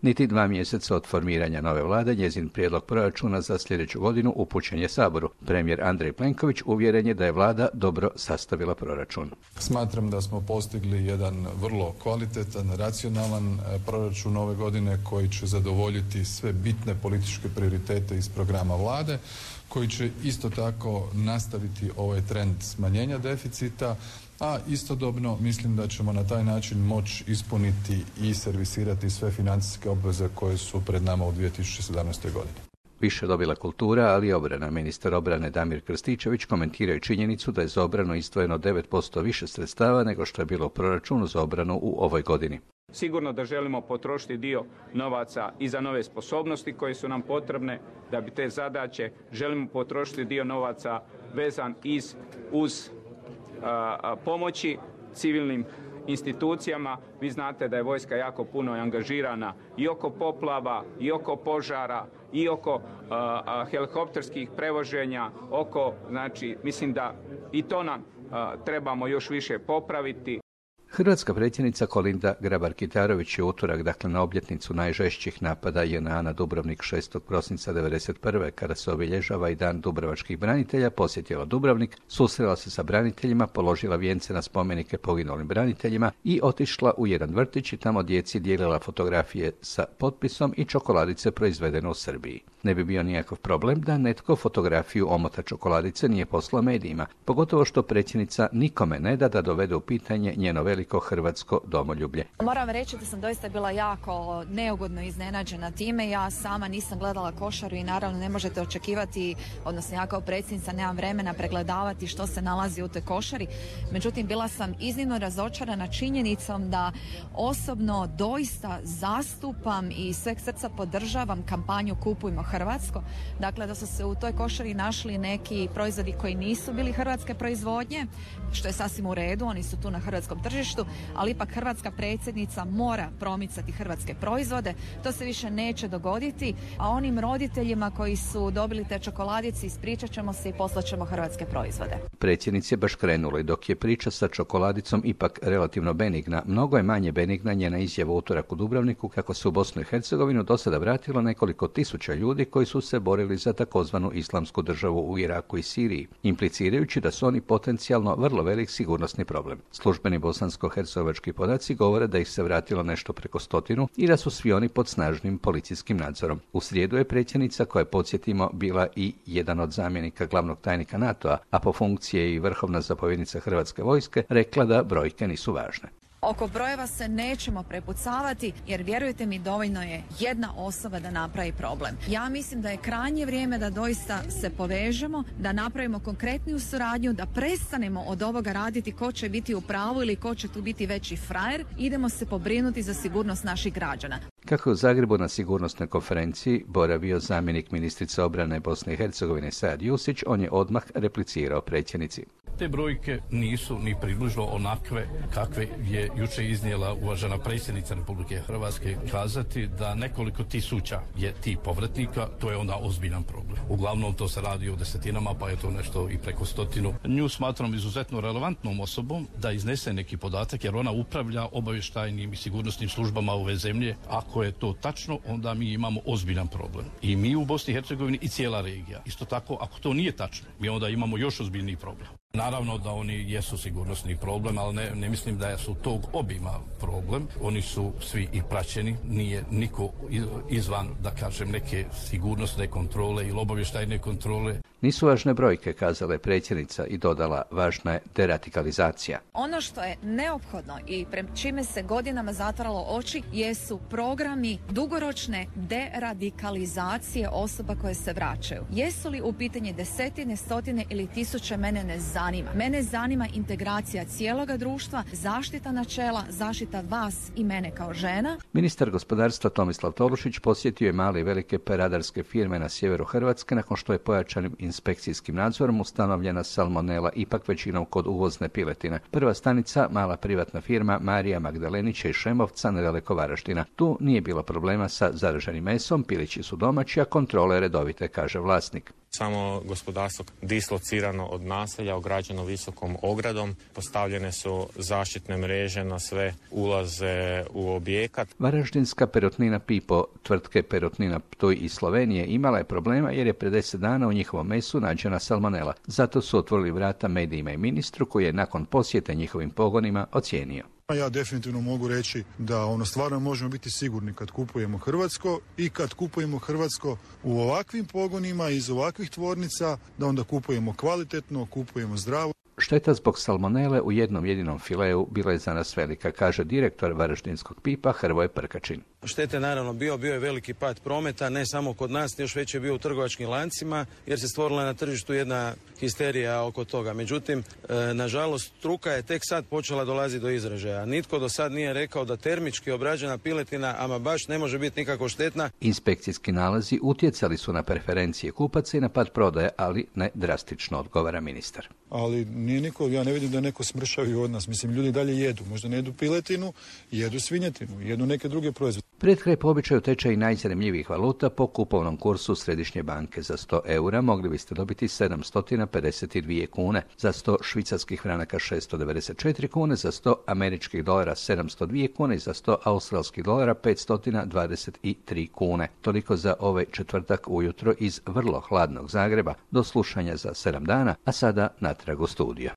Niti 2 mjeseca od formiranja nove vlade, njezin prijedlog proračuna za sljedeću godinu upućen je Saboru. Premijer Andrej Plenković uvjeren je da je vlada dobro sastavila proračun. Smatram da smo postigli jedan vrlo kvalitetan, racionalan proračun ove godine koji će zadovoljiti sve bitne političke prioritete iz programa vlade, koji će isto tako nastaviti ovaj trend smanjenja deficita, a istodobno mislim da ćemo na taj način moći ispuniti i servisirati sve financijske obveze koje su pred nama u 2017. godini. Više dobila kultura, ali i obrana. Ministar obrane Damir Krstičević komentiraju činjenicu da je za obranu izdvojeno 9% više sredstava nego što je bilo u proračunu za obranu u ovoj godini. Sigurno da želimo potrošiti dio novaca i za nove sposobnosti koje su nam potrebne da bi te zadaće, želimo potrošiti dio novaca vezan uz pomoći civilnim institucijama. Vi znate da je vojska jako puno angažirana i oko poplava, i oko požara, i oko helikopterskih prevoženja, mislim da i to nam trebamo još više popraviti. Hrvatska predsjednica Kolinda Grabar-Kitarović je utorak, dakle na obljetnicu najžešćih napada JNA na Dubrovnik 6. prosinca 1991. kada se obilježava i Dan dubrovačkih branitelja, posjetila Dubrovnik, susrela se sa braniteljima, položila vijence na spomenike poginulim braniteljima i otišla u jedan vrtić i tamo djeci dijelila fotografije sa potpisom i čokoladice proizvedene u Srbiji. Ne bi bio nikakav problem da netko fotografiju omota čokoladice nije poslao medijima, pogotovo što predsjednica nikome ne da dovede u pitanje njeno veliko hrvatsko domoljublje. Moram reći da sam doista bila jako neugodno iznenađena time. Ja sama nisam gledala košaru i naravno ne možete očekivati, odnosno ja kao predsjednica nemam vremena pregledavati što se nalazi u toj košari. Međutim, bila sam iznimno razočarana činjenicom da osobno doista zastupam i sveg srca podržavam kampanju Kupujmo hrvatsko. Dakle, da su se u toj košari našli neki proizvodi koji nisu bili hrvatske proizvodnje, što je sasvim u redu, oni su tu na hrvatskom tržištu, ali ipak hrvatska predsjednica mora promicati hrvatske proizvode. To se više neće dogoditi, a onim roditeljima koji su dobili te čokoladice ispričat ćemo se i poslat ćemo hrvatske proizvode. Predsjednici je baš krenula i dok je priča sa čokoladicom ipak relativno benigna, mnogo je manje benigna njena izjava u utorak u Dubrovniku kako se u Bosnu i Hercegovinu do sada vratilo nekoliko tisuća ljudi koji su se borili za takozvanu islamsku državu u Iraku i Siriji, implicirajući da su oni potencijalno vrlo velik sigurnosni problem. Službeni bosansko-hercegovački podaci govore da ih se vratilo nešto preko 100 i da su svi oni pod snažnim policijskim nadzorom. U srijedu je predsjednica, koja je, podsjetimo, bila i jedan od zamjenika glavnog tajnika NATO-a, a po funkciji je i vrhovna zapovjednica Hrvatske vojske, rekla da brojke nisu važne. Oko brojeva se nećemo prepucavati jer vjerujte mi dovoljno je jedna osoba da napravi problem. Ja mislim da je krajnje vrijeme da doista se povežemo, da napravimo konkretniju suradnju, da prestanemo od ovoga raditi ko će biti u pravu ili ko će tu biti veći frajer. Idemo se pobrinuti za sigurnost naših građana. Kako je u Zagrebu na sigurnosnoj konferenciji boravio zamjenik ministrice obrane Bosne i Hercegovine Sajad Jusić, on je odmah replicirao predsjednici. Te brojke nisu ni približno onakve kakve je jučer iznijela uvažena predsjednica Republike Hrvatske. Kazati da nekoliko tisuća je tih povratnika, to je onda ozbiljan problem. Uglavnom to se radi o desetinama, pa je to nešto i preko 100. Nju smatram izuzetno relevantnom osobom da iznese neki podatak, jer ona upravlja obavještajnim i sigurnosnim službama ove zemlje. Ako je to tačno, onda mi imamo ozbiljan problem. I mi u Bosni i Hercegovini i cijela regija. Isto tako, ako to nije tačno, mi onda imamo još ozbiljniji problem. Naravno da oni jesu sigurnosni problem, ali ne mislim da su tog obima problem. Oni su svi i praćeni, nije niko izvan, da kažem, neke sigurnosne kontrole ili obavještajne kontrole. Nisu važne brojke, kazala je predsjednica i dodala, važna je deradikalizacija. Ono što je neophodno i pred čime se godinama zatvaralo oči jesu programi dugoročne deradikalizacije osoba koje se vraćaju. Jesu li u pitanje desetine, stotine ili tisuće, mene ne zanima. Mene zanima integracija cijeloga društva, zaštita načela, zaštita vas i mene kao žena. Ministar gospodarstva Tomislav Tolušić posjetio je male i velike peradarske firme na sjeveru Hrvatske nakon što je pojačanim inspekcijskim nadzorom ustanovljena salmonela, ipak većinom kod uvozne piletine. Prva stanica, mala privatna firma Marija Magdalenića iz Šemovca nedaleko Varaždina. Tu nije bilo problema sa zaraženim mesom, pilići su domaći, a kontrole redovite, kaže vlasnik. Samo gospodarstvo dislocirano od naselja, ograđeno visokom ogradom, postavljene su zaštitne mreže na sve ulaze u objekat. Varaždinska perutnina Pipo, tvrtke Perutnina Ptuj iz Slovenije, imala je problema jer je pred 10 dana u njihovom mesu nađena salmonela. Zato su otvorili vrata medijima i ministru koji je nakon posjete njihovim pogonima ocijenio. Ja definitivno mogu reći da stvarno možemo biti sigurni kad kupujemo hrvatsko i kad kupujemo hrvatsko u ovakvim pogonima iz ovakvih tvornica, da onda kupujemo kvalitetno, kupujemo zdravo. Šteta zbog salmonele u jednom jedinom fileu bila je za nas velika, kaže direktor Varaždinskog Pipa Hrvoje Prkačin. Štete naravno bio je veliki pad prometa, ne samo kod nas, još već je bio u trgovačkim lancima, jer se stvorila na tržištu jedna histerija oko toga. Međutim, nažalost, struka je tek sad počela dolaziti do izražaja. Nitko do sad nije rekao da termički obrađena piletina, ama baš ne može biti nikako štetna. Inspekcijski nalazi utjecali su na preferencije kupaca i na pad prodaje, ali ne drastično, odgovara ministar. Ali nije niko, ja ne vidim da neko smršavi od nas. Mislim, ljudi dalje jedu. Možda ne jedu piletinu, jedu svinjetinu, jedu neke druge proizvode. Pred kraj po običaju tečaj najzanimljivijih valuta po kupovnom kursu Središnje banke. Za 100 eura mogli biste dobiti 752 kune, za 100 švicarskih franaka 694 kune, za 100 američkih dolara 702 kune i za 100 australskih dolara 523 kune. Toliko za ovaj četvrtak ujutro iz vrlo hladnog Zagreba. Do slušanja za 7 dana, a sada natrag u studio.